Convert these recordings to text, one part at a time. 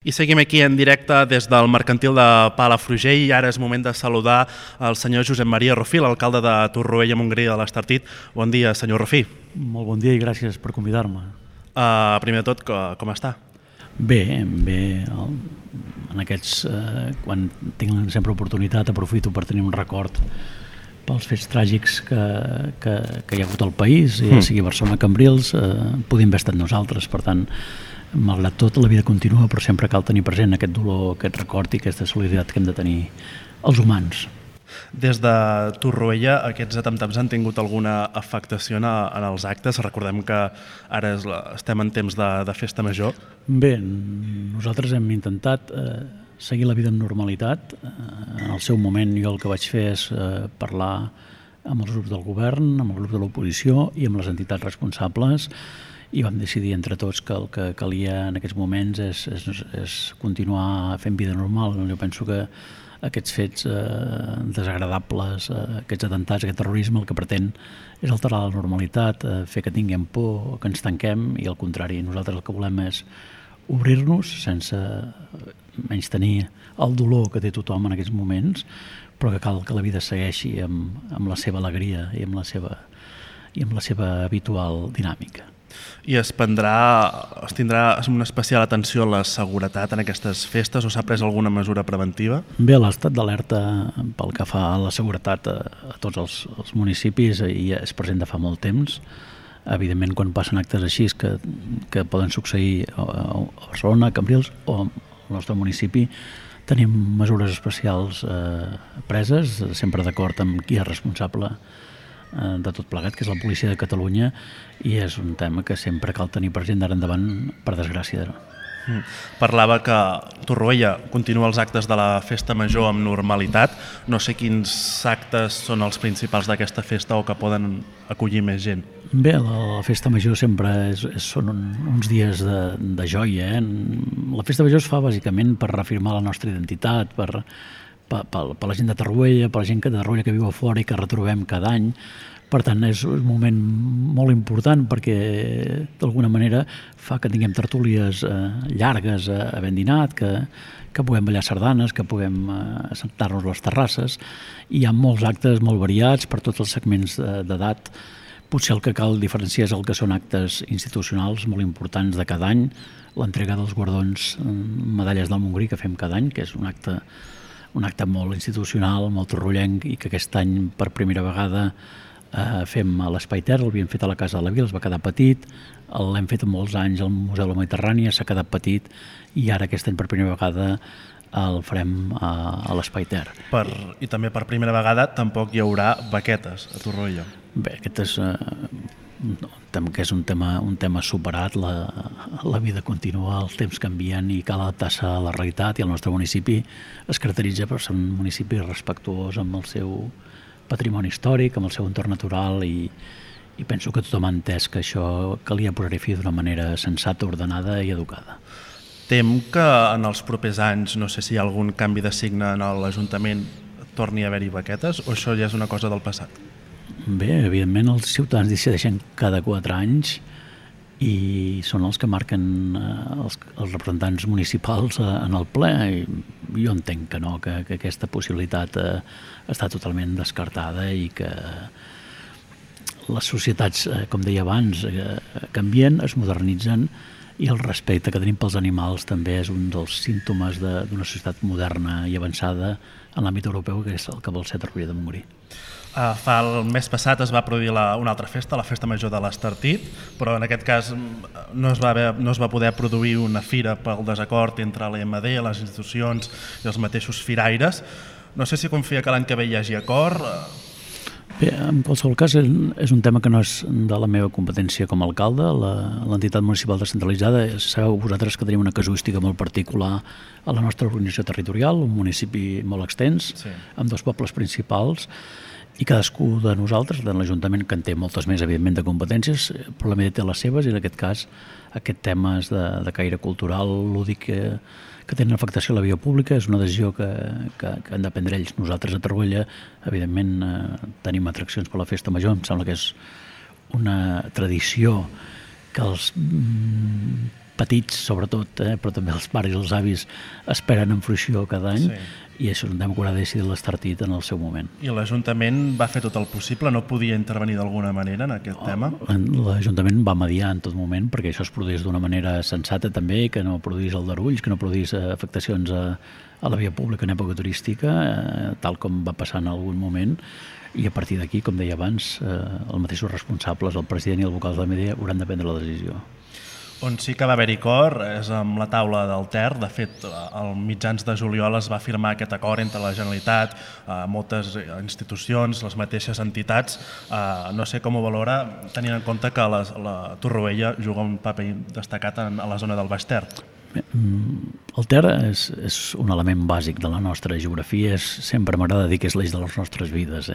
I seguim aquí en directe des del mercantil de Palafrugell i ara és moment de saludar el senyor Josep Maria Rofí, l'alcalde de Torroella Montgrí de l'Estartit. Bon dia, senyor Rofí. Molt bon dia i gràcies per convidar-me. Primer de tot, com està? Bé. En aquests, quan tinc sempre oportunitat, aprofito per tenir un record pels fets tràgics que hi ha hagut al país, ja sigui Barcelona, Cambrils, podem haver estat nosaltres. Per tant, malgrat tot, la vida continua, però sempre cal tenir present aquest dolor, aquest record i aquesta solidaritat que hem de tenir els humans. Des de Torroella, aquests atemptats han tingut alguna afectació en els actes? Recordem que ara estem en temps de festa major. Bé, nosaltres hem intentat seguir la vida amb normalitat. En el seu moment jo el que vaig fer és parlar amb els grups del govern, amb el grup de l'oposició i amb les entitats responsables, i vam decidir entre tots que el que calia en aquests moments és continuar fent vida normal. Jo penso que aquests fets desagradables, aquests atemptats, aquest terrorisme, el que pretén és alterar la normalitat, fer que tinguem por, que ens tanquem, i al contrari, nosaltres el que volem és obrir-nos sense menystenir el dolor que té tothom en aquests moments, però que cal que la vida segueixi amb la seva alegria i amb la seva habitual dinàmica. I es tindrà una especial atenció a la seguretat en aquestes festes o s'ha pres alguna mesura preventiva? Bé, l'estat d'alerta pel que fa a la seguretat a tots els municipis ja és present de fa molt temps. Evidentment, quan passen actes així que poden succeir a Barcelona, a Cambrils o al nostre municipi, tenim mesures especials preses, sempre d'acord amb qui és responsable de tot plegat, que és la policia de Catalunya, i és un tema que sempre cal tenir present d'ara endavant, per desgràcia. Parlava que Torroella continua els actes de la festa major amb normalitat. No sé quins actes són els principals d'aquesta festa o que poden acollir més gent. Bé, la festa major sempre són uns dies de joia. La festa major es fa bàsicament per reafirmar la nostra identitat, per la gent de Torroella, per la gent de Torroella que viu a fora i que retrobem cada any. Per tant, és un moment molt important perquè d'alguna manera fa que tinguem tertúlies llargues havent dinat, que puguem ballar sardanes, que puguem assentar-nos a les terrasses. Hi ha molts actes molt variats per tots els segments d'edat. Potser el que cal diferenciar és el que són actes institucionals molt importants de cada any, l'entrega dels guardons Medalles del Montgrí que fem cada any, que és un acte molt institucional, molt torrollenc, i que aquest any per primera vegada fem a l'Espai Terra. L'havíem fet a la Casa de la Vila, es va quedar petit, l'hem fet molts anys al Museu de la Mediterrània, s'ha quedat petit, i ara aquest any per primera vegada el farem a l'Espai Terra. I també per primera vegada tampoc hi haurà baquetes a Torroella. Bé, aquest és un tema superat, la vida continua, els temps canvien i cal adaptar-se a la realitat, i el nostre municipi es caracteritza per ser un municipi respectuós amb el seu patrimoni històric, amb el seu entorn natural, i penso que tothom ha entès que això calia posar-hi fi d'una manera sensata, ordenada i educada. Tem que en els propers anys, no sé si hi ha algun canvi de signe en l'Ajuntament, torni a haver-hi baquetes, o això ja és una cosa del passat? Bé, evidentment els ciutadans decideixen cada 4 anys i són els que marquen els representants municipals en el ple. I jo entenc que no, que aquesta possibilitat està totalment descartada i que les societats, com deia abans, canvien, es modernitzen, i el respecte que tenim pels animals també és un dels símptomes d'una societat moderna i avançada en l'àmbit europeu, que és el que vol ser Torroella de Montgrí. El mes passat es va produir una altra festa, la Festa Major de l'Estartit, però en aquest cas no es va poder produir una fira pel desacord entre l'EMD, les institucions i els mateixos firaires. No sé si confia que l'any que ve hi hagi acord. Bé, en qualsevol cas és un tema que no és de la meva competència com a alcalde. L'entitat municipal descentralitzada, sabeu vosaltres que tenim una casuística molt particular a la nostra organització territorial, un municipi molt extens, sí, amb 2 pobles principals, i cadascú de nosaltres, de l'Ajuntament, que en té moltes més, evidentment, de competències, però la meva té les seves, i en aquest cas aquest tema és de caire cultural, lúdic, que tenen afectació a la via pública. És una decisió que han de prendre ells. Nosaltres a Torroella, evidentment, tenim atraccions per la Festa Major. Em sembla que és una tradició que els petits sobretot, però també els pares i els avis esperen en fruició cada any, i això és un tema que haurà decidit l'Estartit en el seu moment. I l'Ajuntament va fer tot el possible? No podia intervenir d'alguna manera en aquest tema? L'Ajuntament va mediar en tot moment perquè això es produís d'una manera sensata també, que no produís aldarulls, que no produís afectacions a la via pública en època turística, tal com va passar en algun moment, i a partir d'aquí, com deia abans, els mateixos responsables, el president i el vocal de la Medea, hauran de prendre la decisió. On sí que va haver-hi acord és amb la taula del Ter. De fet, al mitjans de juliol es va firmar aquest acord entre la Generalitat, moltes institucions, les mateixes entitats. No sé com ho valora, tenint en compte que la Torroella juga un paper destacat a la zona del Baix Ter. El Ter és un element bàsic de la nostra geografia, sempre m'agrada dir que és l'eix de les nostres vides,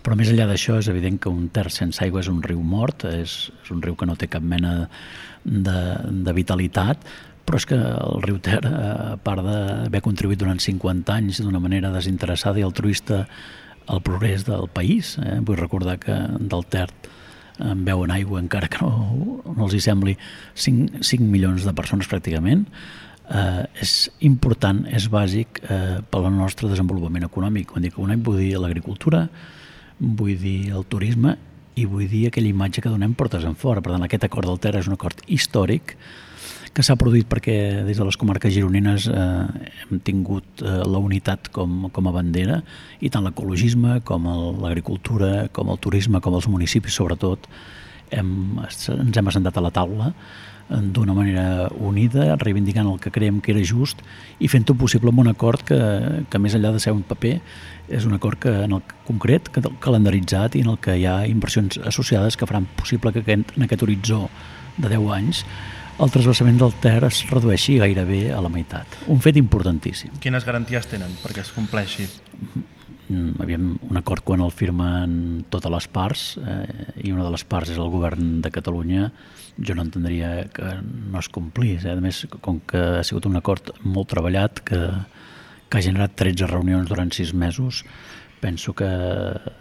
Però més enllà d'això és evident que un Ter sense aigua és un riu mort, és un riu que no té cap mena de vitalitat, però és que el riu Ter, a part d'haver contribuït durant 50 anys d'una manera desinteressada i altruista al progrés del país, vull recordar que del Ter en beuen aigua encara que no els hi sembli 5 milions de persones pràcticament, és important, és bàsic per al nostre desenvolupament econòmic. Quan dic econòmic vull dir l'agricultura, vull dir el turisme i vull dir aquella imatge que donem portes enfora. Per tant, aquest acord del Ter és un acord històric que s'ha produït perquè des de les comarques gironines hem tingut la unitat com a bandera, i tant l'ecologisme com l'agricultura, com el turisme, com els municipis sobretot, ens hem assentat a la taula d'una manera unida, reivindicant el que creiem que era just i fent-ho possible amb un acord que més enllà de ser un paper, és un acord que en el concret, calendaritzat, i en el que hi ha inversions associades que faran possible que en aquest horitzó de 10 anys el transvasament del Ter es redueixi gairebé a la meitat. Un fet importantíssim. Quines garanties tenen perquè es compleixi? Havíem un acord quan el firmen totes les parts, i una de les parts és el govern de Catalunya. Jo no entendria que no es complís. A més, com que ha sigut un acord molt treballat, que ha generat 13 reunions durant 6 mesos, penso que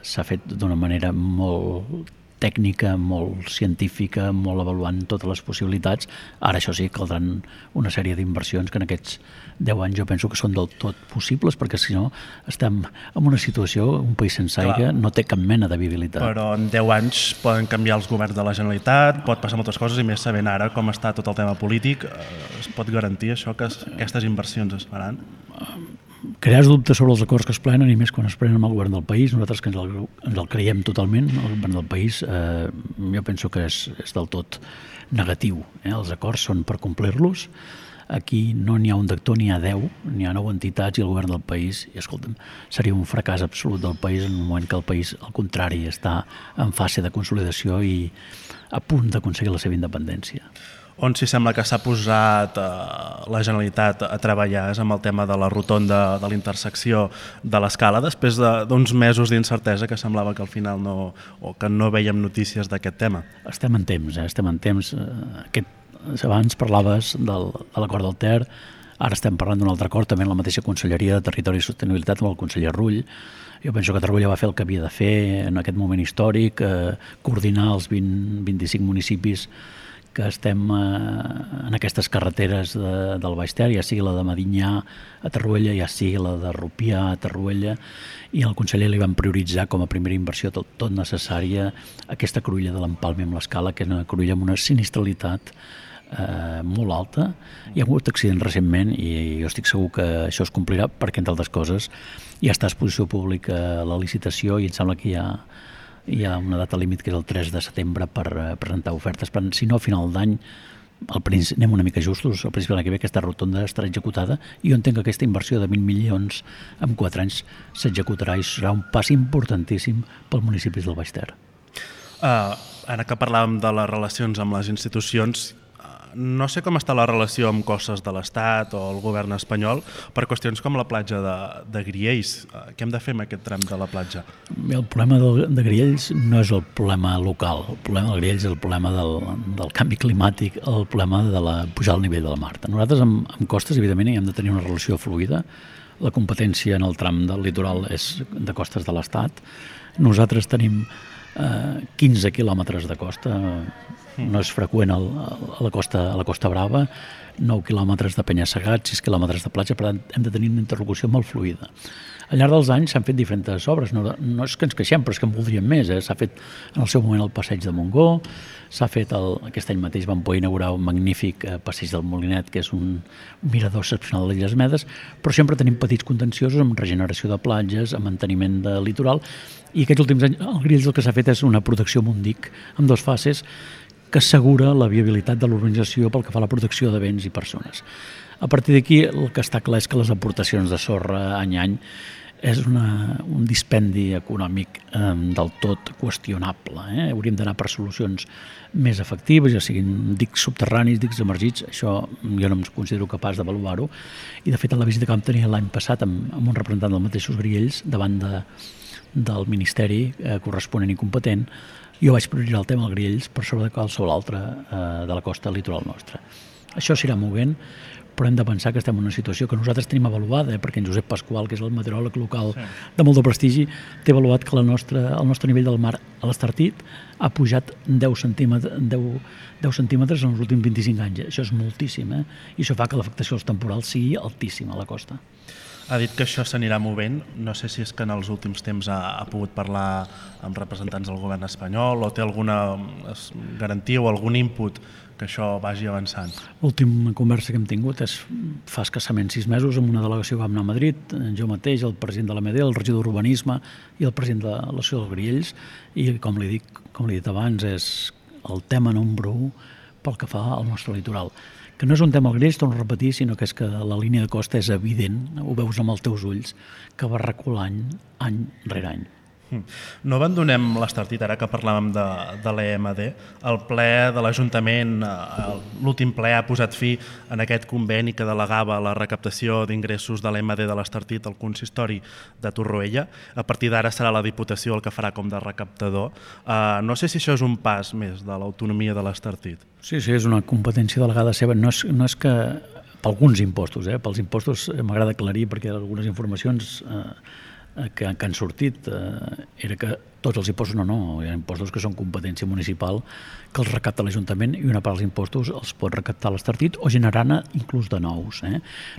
s'ha fet d'una manera molt tècnica, molt científica, molt avaluant totes les possibilitats. Ara, això sí, caldran una sèrie d'inversions que en aquests 10 anys jo penso que són del tot possibles, perquè si no estem en una situació, un país sense aigua no té cap mena de viabilitat. Però en 10 anys poden canviar els governs de la Generalitat, pot passar moltes coses, i més sabent ara com està tot el tema polític, es pot garantir això, que aquestes inversions es faran? Crear dubtes sobre els acords que es prenen, i més quan es prenen amb el govern del país. Nosaltres que ens el creiem totalment, el govern del país, jo penso que és del tot negatiu. Els acords són per complir-los. Aquí no n'hi ha un d'actor, n'hi ha 10, n'hi ha 9 entitats i el govern del país. I escolta'm, seria un fracàs absolut del país en un moment que el país, al contrari, està en fase de consolidació i a punt d'aconseguir la seva independència. On sí sembla que s'ha posat la Generalitat a treballar és amb el tema de la rotonda de l'intersecció de l'Escala, després d'uns mesos d'incertesa que semblava que al final que no veiem notícies d'aquest tema. Estem en temps, estem en temps. Abans parlaves de l'acord del Ter, ara estem parlant d'un altre acord, també en la mateixa Conselleria de Territori i Sostenibilitat amb el conseller Rull. Jo penso que Torroella va fer el que havia de fer en aquest moment històric, coordinar els 25 municipis que estem en aquestes carreteres del Baix Ter, ja sigui la de Medinyà a Torroella, ja sigui la de Rupià a Torroella, i al conseller li van prioritzar com a primera inversió tot necessària aquesta cruïlla de l'empalme amb l'Escala, que és una cruïlla amb una sinistralitat molt alta. Hi ha hagut accidents recentment i jo estic segur que això es complirà perquè, entre altres coses, ja està a exposició pública la licitació i em sembla que hi ha una data límit que és el 3 de setembre per presentar ofertes. Però, si no, a final d'any, anem una mica justos, al principi de l'any que ve aquesta rotonda estarà executada i jo entenc que aquesta inversió de 20 milions en 4 anys s'executarà i serà un pas importantíssim pels municipis del Baix Ter. Ara que parlàvem de les relacions amb les institucions, no sé com està la relació amb costes de l'Estat o el govern espanyol per qüestions com la platja de Griells. Què hem de fer amb aquest tram de la platja? Bé, el problema de Griells no és el problema local. El problema de Griells és el problema del canvi climàtic, el problema de la pujada al nivell de la mar. Nosaltres amb costes, evidentment, hi hem de tenir una relació fluida. La competència en el tram del litoral és de costes de l'Estat. Nosaltres tenim 15 quilòmetres de costa, no és freqüent a la Costa Brava, 9 quilòmetres de penya-segat, 6 quilòmetres de platja, per tant hem de tenir una interlocució molt fluida. Al llarg dels anys s'han fet diferents obres, no és que ens queixem, però és que en voldríem més. S'ha fet en el seu moment el passeig de Montgó, s'ha fet aquest any mateix vam poder inaugurar un magnífic passeig del Molinet, que és un mirador excepcional de l'Illes Medes, però sempre tenim petits contenciosos amb regeneració de platges, amb manteniment de litoral, i aquests últims anys el Grills el que s'ha fet és una protecció Mundic amb 2 fases que assegura la viabilitat de l'urbanització pel que fa a la protecció de béns i persones. A partir d'aquí el que està clar és que les aportacions de sorra any a any és un dispendi econòmic del tot qüestionable. Hauríem d'anar per solucions més efectives, ja siguin dics subterranis, dics emergits, això jo no em considero capaç d'avaluar-ho, i de fet en la visita que vam tenir l'any passat amb un representant dels mateixos Griells davant del Ministeri corresponent i competent, jo vaig prioritzar el tema del Griells per sobre de qualsevol altre de la costa litoral nostra. Això s'irà movent, però hem de pensar que estem en una situació que nosaltres tenim avaluada, perquè en Josep Pasqual, que és el meteoròleg local de molt de prestigi, té avaluat que el nostre nivell del mar a l'Estartit ha pujat 10 centímetres en els últims 25 anys. Això és moltíssim, i això fa que l'afectació dels temporals sigui altíssima a la costa. Ha dit que això s'anirà movent. No sé si és que en els últims temps ha pogut parlar amb representants del govern espanyol o té alguna garantia o algun input que això vagi avançant. L'última conversa que hem tingut és fa escassament 6 mesos amb una delegació que vam anar a Madrid, jo mateix, el president de l'AMD, el regidor d'Urbanisme i el president de l'Associació dels Griells, i com li he dit abans, és el tema número 1 pel que fa al nostre litoral. Que no és un tema al Griells, torno a repetir, sinó que és que la línia de costa és evident, ho veus amb els teus ulls, que va reculant any rere any. No abandonem l'Estartit, ara que parlàvem de l'EMD. El ple de l'Ajuntament, l'últim ple ha posat fi en aquest conveni que delegava la recaptació d'ingressos de l'EMD de l'Estartit al consistori de Torroella. A partir d'ara serà la Diputació el que farà com de recaptador. No sé si això és un pas més de l'autonomia de l'Estartit. Sí, és una competència delegada seva. No és que per alguns impostos, pels impostos m'agrada aclarir perquè algunes informacions que han sortit era que tots els impostos no, hi ha impostos que són competència municipal que els recapta l'Ajuntament i una part dels impostos els pot recaptar l'Estartit o generar-ne inclús de nous.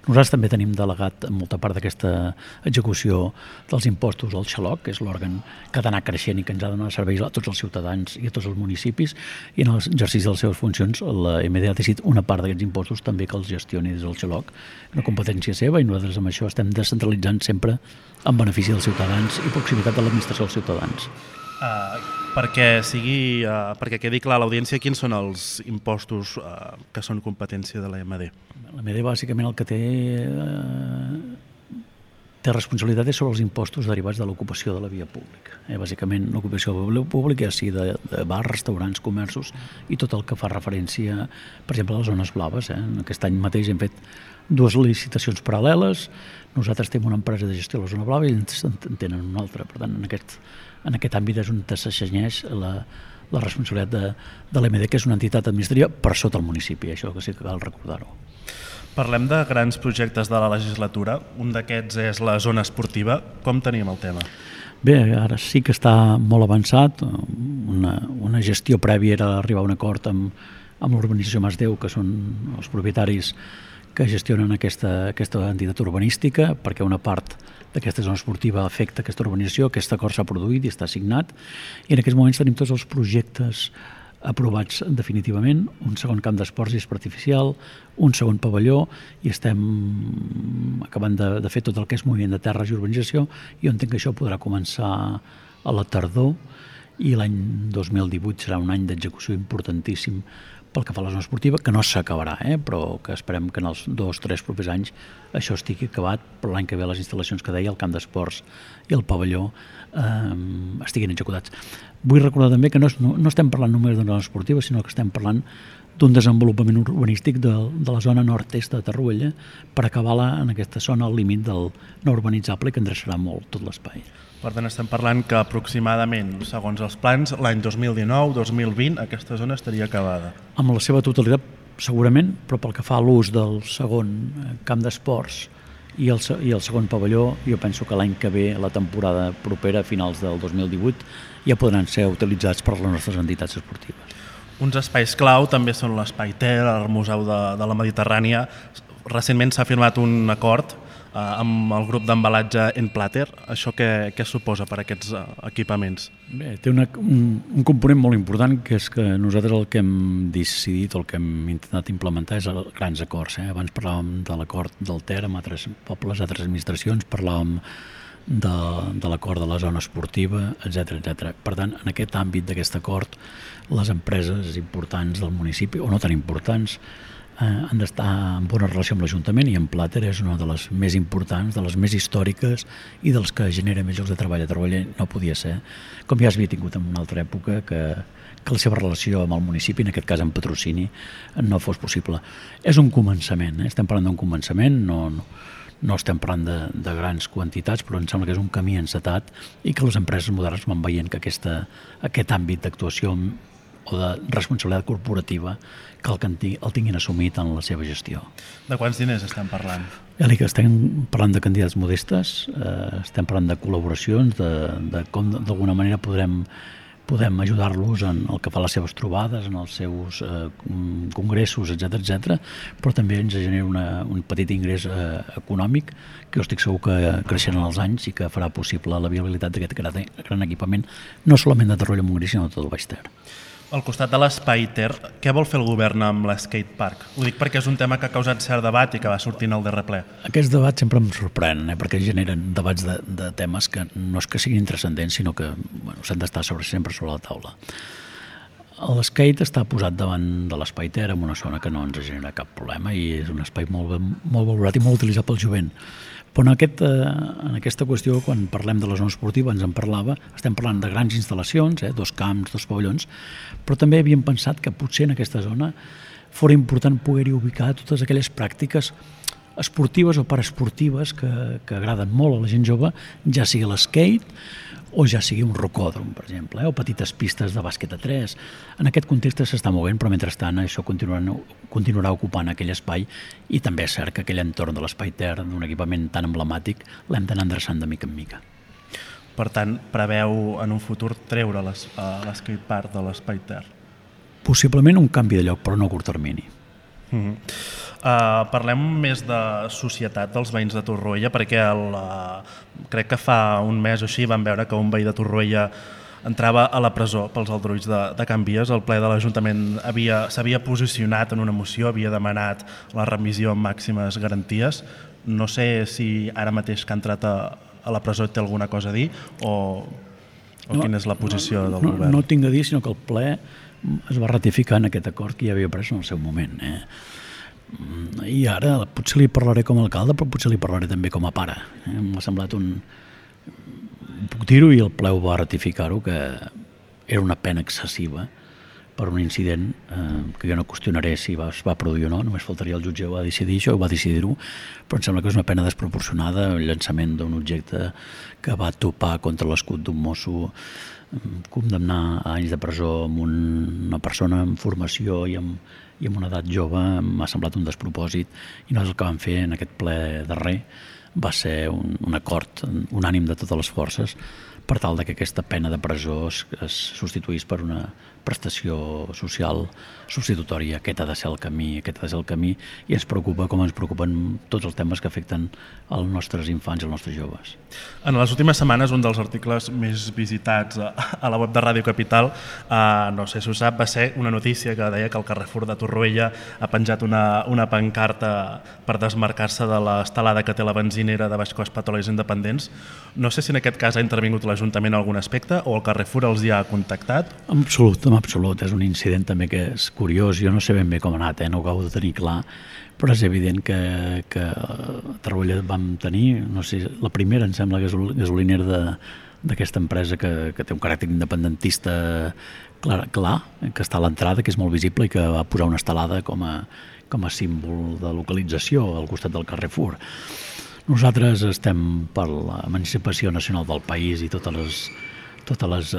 Nosaltres també tenim delegat molta part d'aquesta execució dels impostos al Xaloc, que és l'òrgan que ha d'anar creixent i que ens ha de donar serveis a tots els ciutadans i a tots els municipis, i en l'exercici de les seves funcions la MD ha decidit una part d'aquests impostos també que els gestioni des del Xaloc, una competència seva, i nosaltres amb això estem descentralitzant sempre en benefici dels ciutadans i proximitat de l'administració als ciutadans. Perquè quedi clar a l'audiència, quins són els impostos que són competència de l'EMD? L'EMD bàsicament el que té responsabilitat és sobre els impostos derivats de l'ocupació de la via pública. Bàsicament l'ocupació de la via pública, sigui de bars, restaurants, comerços i tot el que fa referència, per exemple, a les zones blaves. Aquest any mateix hem fet 2 licitacions paral·leles, nosaltres tenim una empresa de gestió de la zona blava i ells en tenen una altra. Per tant, en aquest àmbit és on s'assenyeix la responsabilitat de l'EMD, que és una entitat administrativa per sota el municipi, això que sí que cal recordar-ho. Parlem de grans projectes de la legislatura. Un d'aquests és la zona esportiva. Com tenim el tema? Bé, ara sí que està molt avançat. Una gestió prèvia era arribar a un acord amb l'urbanització Masdeu, que són els propietaris que gestionen aquesta entitat urbanística, perquè una part d'aquesta zona esportiva afecta aquesta urbanització. Aquest acord s'ha produït i està signat, i en aquests moments tenim tots els projectes aprovats definitivament, un segon camp d'esports i esport artificial, un segon pavelló, i estem acabant de fer tot el que és moviment de terres i urbanització, i jo entenc que això podrà començar a la tardor, i l'any 2018 serà un any d'execució importantíssim pel que fa a la zona esportiva, que no s'acabarà, però que esperem que en els 2-3 propers anys això estigui acabat, però l'any que ve les instal·lacions que deia, el camp d'esports i el pavelló, estiguin executats. Vull recordar també que no estem parlant només d'una zona esportiva, sinó que estem parlant d'un desenvolupament urbanístic de la zona nord-est de Torroella per acabar en aquesta zona al límit del no urbanitzable, que endreçarà molt tot l'espai. Per tant, estem parlant que aproximadament, segons els plans, l'any 2019-2020 aquesta zona estaria acabada. Amb la seva totalitat, segurament, però pel que fa a l'ús del segon camp d'esports i el segon pavelló jo penso que l'any que ve, la temporada propera, a finals del 2018, ja podran ser utilitzats per les nostres entitats esportives. Uns espais clau també són l'Espai Ter, el Museu de la Mediterrània. Recentment s'ha firmat un acord amb el grup d'embalatge Enplater. Això què suposa per a aquests equipaments? Bé, té un component molt important, que és que nosaltres el que hem decidit, el que hem intentat implementar és grans acords. Abans parlàvem de l'acord del Ter amb altres pobles, altres administracions, parlàvem de l'acord de la zona esportiva, etc. Per tant, en aquest àmbit d'aquest acord, les empreses importants del municipi, o no tan importants, han d'estar en bona relació amb l'Ajuntament, i Enplater és una de les més importants, de les més històriques i dels que genera més llocs de treball. A Torroella no podia ser, com ja s'havia tingut en una altra època, que la seva relació amb el municipi, en aquest cas amb patrocini, no fos possible. És un començament, estem parlant d'un començament, no estem parlant de grans quantitats, però em sembla que és un camí encetat i que les empreses modernes van veient que aquest àmbit d'actuació o de responsabilitat corporativa cal que el tinguin assumit en la seva gestió. De quants diners estem parlant? Ja dic, estem parlant de quantitats modestes, estem parlant de col·laboracions, de com d'alguna manera podem ajudar-los en el que fa les seves trobades, en els seus congressos, etc., però també ens genera un petit ingrés econòmic que jo estic segur que creixerà en els anys i que farà possible la viabilitat d'aquest gran equipament, no solament de Torroella-Montgrí, sinó de tot el Baix Ter. Al costat de l'Espai Ter, què vol fer el govern amb l'skatepark? Ho dic perquè és un tema que ha causat cert debat i que va sortir en el darrer ple. Aquests debats sempre em sorprenen, perquè generen debats de temes que no és que siguin transcendents, sinó que s'han d'estar sempre sobre la taula. L'skate està posat davant de l'Espai Ter en una zona que no ens genera cap problema i és un espai molt valorat i molt utilitzat pel jovent. Però en aquesta qüestió, quan parlem de la zona esportiva, ens en parlava, estem parlant de grans instal·lacions, 2 camps, 2 pavellons, però també havíem pensat que potser en aquesta zona fora important poder-hi ubicar totes aquelles pràctiques esportives o paraesportives que agraden molt a la gent jove, ja sigui l'skate o ja sigui un rocòdrom, per exemple, o petites pistes de bàsquet a 3. En aquest context s'està movent, però mentrestant això continuarà ocupant aquell espai i també és cert que aquell entorn de l'Espai Ter, d'un equipament tan emblemàtic, l'hem d'anar endreçant de mica en mica. Per tant, preveu en un futur treure l'skatepark de l'Espai Ter? Possiblement un canvi de lloc, però no a curt termini. Parlem més de societat dels veïns de Torroella, perquè crec que fa un mes o així vam veure que un veí de Torroella entrava a la presó pels aldarulls de Can Vies. El ple de l'Ajuntament s'havia posicionat en una moció, havia demanat la remissió amb màximes garanties. No sé si ara mateix que ha entrat a la presó té alguna cosa a dir o quina és la posició del govern. No tinc a dir, sinó que el ple es va ratificar en aquest acord que ja havia pres en el seu moment. I ara potser li parlaré com a alcalde, però potser li parlaré també com a pare. M'ha semblat puc dir-ho, i el ple ho va ratificar-ho, que era una pena excessiva per un incident que jo no qüestionaré si es va produir o no, només faltaria el jutge va decidir això, va decidir-ho, però em sembla que és una pena desproporcionada, el llançament d'un objecte que va topar contra l'escut d'un mosso, condemnar a anys de presó amb una persona en formació i amb una edat jove m'ha semblat un despropòsit, i no és el que vam fer en aquest ple darrer. Va ser un acord unànim de totes les forces per tal que aquesta pena de presó es substituís per una prestació social substitutòria. Aquest ha de ser el camí, i ens preocupa com ens preocupen tots els temes que afecten els nostres infants i els nostres joves. En les últimes setmanes, un dels articles més visitats a la web de Ràdio Capital, no sé si ho sap, va ser una notícia que deia que el Carrefour de Torroella ha penjat una pancarta per desmarcar-se de l'estelada que té la benzinera de Baix Cost Petrolis Independents. No sé si en aquest cas ha intervingut l'Ajuntament en algun aspecte o el Carrefour els hi ha contactat. En absolut. És un incident també que és curiós. Jo no sé ben bé com ha anat, no ho acabo de tenir clar, però és evident que a Torroella vam tenir, no sé, la primera, em sembla, gasolinera d'aquesta empresa que té un caràcter independentista clar, que està a l'entrada, que és molt visible i que va posar una estelada com a símbol de localització al costat del Carrefour. Nosaltres estem per l'emancipació nacional del país i totes totes les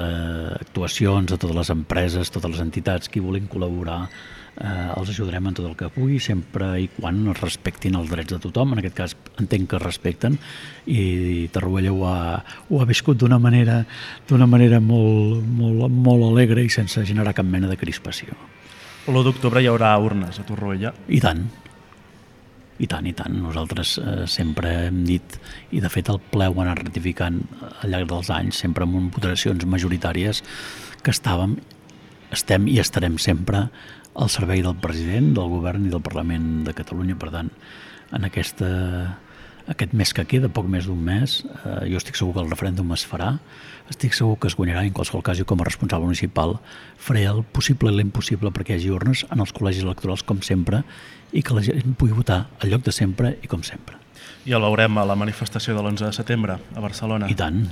actuacions de totes les empreses, totes les entitats que hi vulguin col·laborar, els ajudarem en tot el que pugui, sempre i quan es respectin els drets de tothom. En aquest cas entenc que es respecten, i Torroella ho ha viscut d'una manera molt alegre i sense generar cap mena de crispació. L'1 d'octubre hi haurà urnes a Torroella? I tant. Nosaltres sempre hem dit, i de fet el ple ho ha anat ratificant al llarg dels anys, sempre amb votacions majoritàries, que estem i estarem sempre al servei del president, del govern i del Parlament de Catalunya. Per tant, en aquest mes que queda, poc més d'un mes, jo estic segur que el referèndum es farà, estic segur que es guanyarà, en qualsevol cas, jo com a responsable municipal faré el possible i l'impossible perquè hi hagi urnes en els col·legis electorals com sempre, i que la gent pugui votar al lloc de sempre i com sempre. I el veurem a la manifestació de l'11 de setembre a Barcelona? I tant.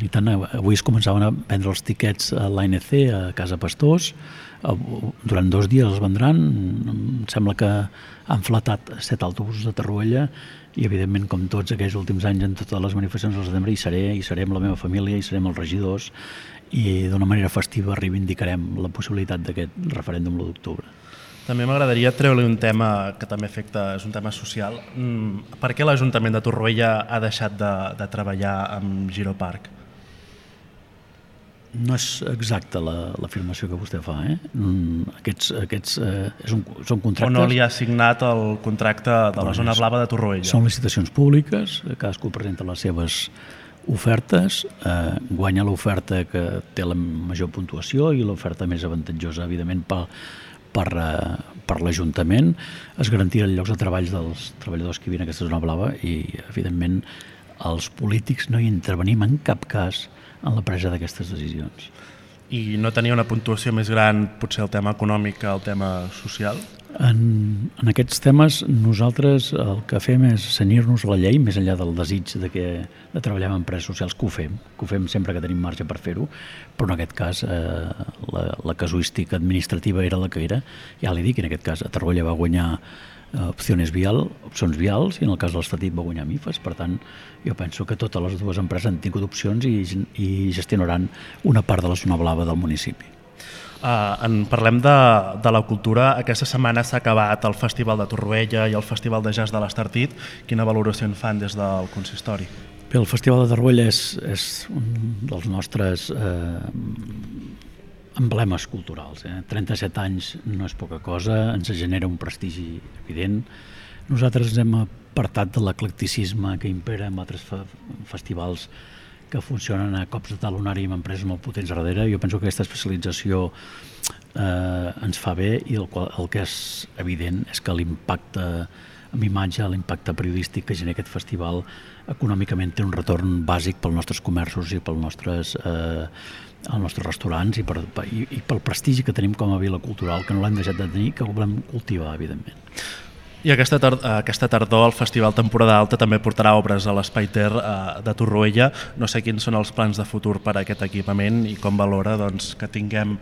Avui es començaven a vendre els tiquets a l'ANC, a Casa Pastors. Durant 2 dies els vendran. Em sembla que han flatat 7 autobusos de Torroella i, evidentment, com tots aquells últims anys en totes les manifestacions del setembre, hi seré amb la meva família, hi serem els regidors, i d'una manera festiva reivindicarem la possibilitat d'aquest referèndum l'1 d'octubre. També m'agradaria treure-li un tema que també afecta, és un tema social. Per què l'Ajuntament de Torroella ha deixat de treballar amb Giroparc? No és exacta l'afirmació que vostè fa. Aquests són contractes... O no li ha signat el contracte de la zona blava de Torroella? Són licitacions públiques, cadascú presenta les seves ofertes, guanya l'oferta que té la major puntuació i l'oferta més avantatjosa, evidentment, per l'Ajuntament. Es garantiran llocs de treball dels treballadors que viuen a aquesta zona blava i, evidentment, els polítics no hi intervenim en cap cas en la presa d'aquestes decisions. I no tenia una puntuació més gran, potser el tema econòmic que el tema social? En aquests temes nosaltres el que fem és cenyir-nos a la llei, més enllà del desig de treballar en empreses socials, que ho fem sempre que tenim marge per fer-ho, però en aquest cas la casuística administrativa era la que era. Ja li dic, en aquest cas a Torroella va guanyar opcions vials, i en el cas de l'Estatit va guanyar MIFAS. Per tant, jo penso que totes les dues empreses han tingut opcions i gestionaran una part de la zona blava del municipi. Parlem de la cultura. Aquesta setmana s'ha acabat el Festival de Torroella i el Festival de Jazz de l'Estartit. Quina valoració en fan des del consistori? Bé, el Festival de Torroella és un dels nostres emblemes culturals. 37 anys no és poca cosa, ens genera un prestigi evident. Nosaltres ens hem apartat de l'eclecticisme que impera en altres festivals que funcionen a cops de talonari amb empreses molt potents darrere. Jo penso que aquesta especialització ens fa bé, i el que és evident és que l'impacte amb imatge, l'impacte periodístic que genera aquest festival econòmicament té un retorn bàsic pels nostres comerços i pels nostres restaurants i pel prestigi que tenim com a vila cultural, que no l'hem deixat de tenir, que ho volem cultivar, evidentment. I aquesta tardor el Festival Temporada Alta també portarà obres a l'Espai Ter de Torroella. No sé quins són els plans de futur per a aquest equipament i com valora que tinguem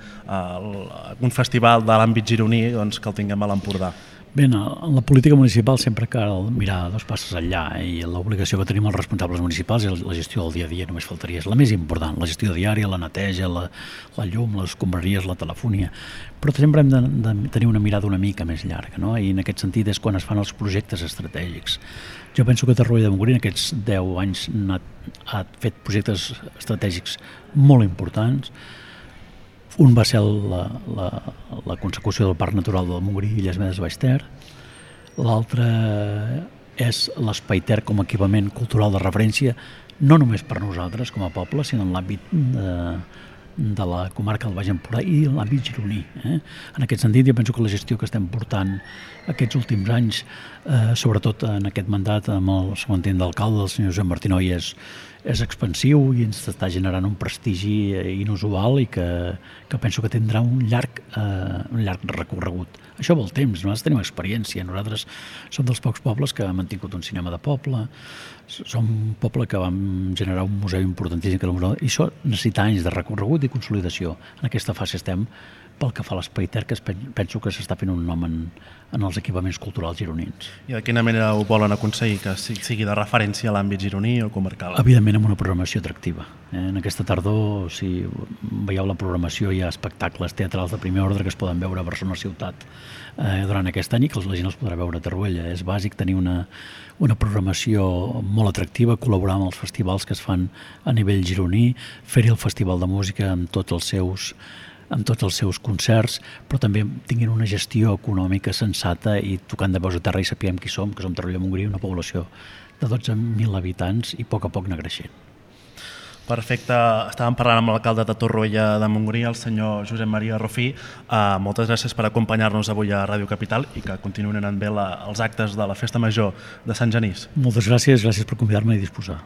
un festival de l'àmbit gironí, que el tinguem a l'Empordà. Bé, en la política municipal sempre cal mirar 2 passes enllà, i l'obligació que tenim els responsables municipals és la gestió del dia a dia, només faltaria. És la més important, la gestió diària, la neteja, la llum, les escombraries, la telefonia. Però sempre hem de tenir una mirada una mica més llarga, no? I en aquest sentit és quan es fan els projectes estratègics. Jo penso que Torroella de Montgrí en aquests 10 anys ha fet projectes estratègics molt importants. Un va ser la consecució del Parc Natural del Montgrí i Illes Medes Baix Ter. L'altre és l'Espai Ter com a equipament cultural de referència, no només per nosaltres com a poble, sinó en l'àmbit de la comarca del Baix Empordà i en l'àmbit gironí. En aquest sentit, jo penso que la gestió que estem portant aquests últims anys, sobretot en aquest mandat amb el segon tinent d'alcalde, el senyor Josep Martinoy, és expansiu i ens està generant un prestigi inusual i que penso que tindrà un llarg recorregut. Això vol temps, nosaltres tenim experiència, nosaltres som dels pocs pobles que hem mantingut un cinema de poble, som un poble que vam generar un museu importantíssim, i això necessita anys de recorregut i consolidació. En aquesta fase estem pel que fa a l'Espai Ter, que penso que s'està fent un nom en els equipaments culturals gironins. I de quina manera ho volen aconseguir? Que sigui de referència a l'àmbit gironí o comarcal? Evidentment amb una programació atractiva. En aquesta tardor, si veieu la programació, hi ha espectacles teatrals de primer ordre que es poden veure a Barcelona ciutat durant aquest any i que la gent els podrà veure a Torroella. És bàsic tenir una programació molt atractiva, col·laborar amb els festivals que es fan a nivell gironí, fer-hi el Festival de Música amb tots els seus concerts, però també tinguin una gestió econòmica sensata i tocant de peus a terra i sapiguem qui som, que som Torroella-Montgrí, una població de 12.000 habitants i a poc anar creixent. Perfecte. Estàvem parlant amb l'alcalde de Torroella de Montgrí, el senyor Josep Maria Rufí. Moltes gràcies per acompanyar-nos avui a Ràdio Capital i que continuïn anant bé els actes de la Festa Major de Sant Genís. Moltes gràcies per convidar-me i disposar.